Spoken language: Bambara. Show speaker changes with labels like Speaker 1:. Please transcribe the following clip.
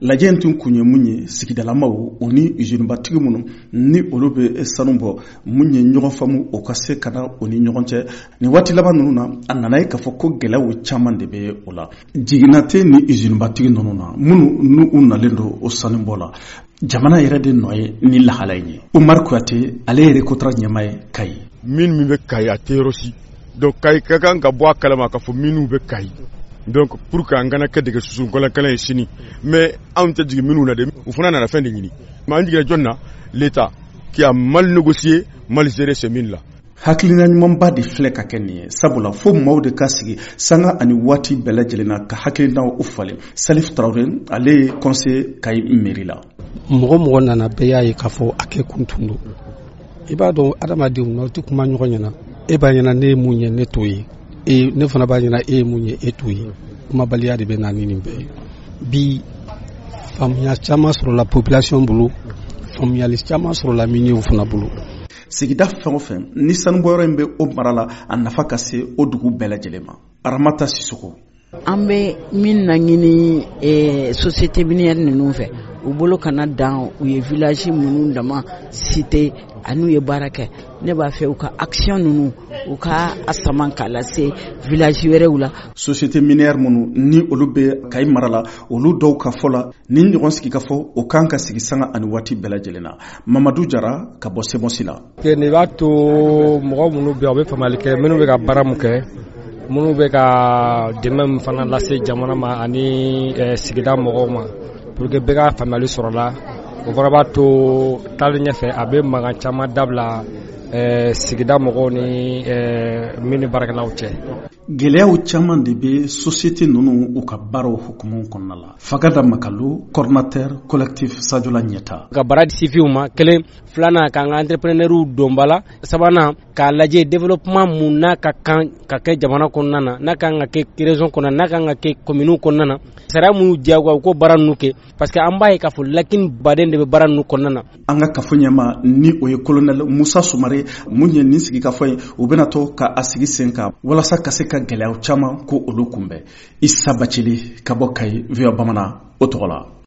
Speaker 1: Lajɛ in tun kun ye mun ye, sigidalamaw o ni usinibatigi minnu ni olu bɛ sanu bɔ, mun ye ɲɔgɔn faamu o ka se ka na o ni ɲɔgɔn cɛ. Nin waati laban ninnu na, a nana ye k'a fɔ ko gɛlɛyaw caman de bɛ o la. Jiginna tɛ ni usinibatigi ninnu na minnu n'u nalen don o sanubɔ la. Jamana yɛrɛ de nɔ ye ni lahala in ye. Umar Kuyate, ale ye RECOTRA ɲɛmaa ye Kayi.
Speaker 2: Min bɛ Kayi, a tɛ yɔrɔ si. Donc Kayi ka kan ka bɔ a kalama k'a fɔ minnu bɛ Kayi. Donc pour que an kana kɛ dɛgɛ susu kɔlɔnkɛlɛ ye sini, mais anw tɛ jigin minnu na dɛ, u fana nana fɛn de ɲini. Mais an jiginna jɔn na? L'État qui a mal négocié, mal géré ces mines là.
Speaker 1: Hakilina ɲumanba de filɛ ka kɛ nin ye, sabula fo maaw de ka sigi sanga ani waati bɛɛ lajɛlen na ka hakilinaw u falen. Salif Traoré, ale ye conseiller Kayi mairie la.
Speaker 3: Mɔgɔ mɔgɔ nana, bɛɛ y'a ye k'a fɔ a kɛ kun tun don. I b'a dɔn, adamadenw, n'aw tɛ kuma ɲɔgɔn ɲɛna, e b'a ɲɛna ne ye mun ye, ne t'o ye, e ne fana b'a ɲɛna e ye mun ye, e t'o ye. Kumabaliya de bɛ na ni nin bɛɛ ye. Bi, faamuya caman sɔrɔla population bolo, faamuyali caman sɔrɔla miniers fana bolo.
Speaker 1: Sigida fɛn o fɛn ni sanubɔyɔrɔ in bɛ o mara la, a nafa ka se o dugu bɛɛ lajɛlen ma. Aramata Sisoko.
Speaker 4: An bɛ min laɲini société minière ninnu fɛ, u bolo kana dan u ye village minnu dama cité an'u ye baara kɛ. Ne b'a fɛ u ka action ninnu, u ka a sama k'a lase village wɛrɛw la.
Speaker 1: Société minière minnu ni olu bɛ Kayi mara la, olu dɔw ka fɔ la, ni ɲɔgɔn sigi ka fɔ, o kan ka sigi sanga ani waati bɛɛ lajɛlen na. Mamadu Jara ka bɔ SEMOS la.
Speaker 5: Nin b'a to mɔgɔ minnu bɛ yen, u bɛ faamuyali kɛ minnu bɛ ka baara mun kɛ, minnu bɛ ka dɛmɛ min fana lase jamana ma ani sigida mɔgɔw ma, pour que bɛɛ ka faamuyali sɔrɔ la. O fana b'a to taalen ɲɛfɛ, a bɛ mankan caman dabila sigida mɔgɔw ni mine baarakɛlaw cɛ.
Speaker 1: Gɛlɛyaw caman de bɛ société ninnu u ka baaraw hukumu kɔnɔna la. Fagada Makalo, coordinateur collectif Sadiola Ɲɛta.
Speaker 6: Ka baara di sifinw ma, kelen. Filanan, k'an ka entrepreneurs don ba la. Sabanan, k'a lajɛ développement mun n'a ka kan ka kɛ jamana kɔnɔna na, n'a kan ka kɛ région kɔnɔna, n'a kan ka kɛ commune kɔnɔna na, sariya minnu diyagoya u k'o baara ninnu kɛ, parce que an b'a ye k'a fɔ lakini baden de bɛ baara ninnu kɔnɔna na.
Speaker 1: An ka kafo ɲɛma ni o ye colonel Musa Sumare, mun ye nin sigi ka fɔ ye, u bɛna to ka a sigi sen kan walasa ka se ka gɛlɛyaw caman ko olu kunbɛn. Isa Bacili ka bɔ Kayi, VOA Bamanan o tɔgɔ la.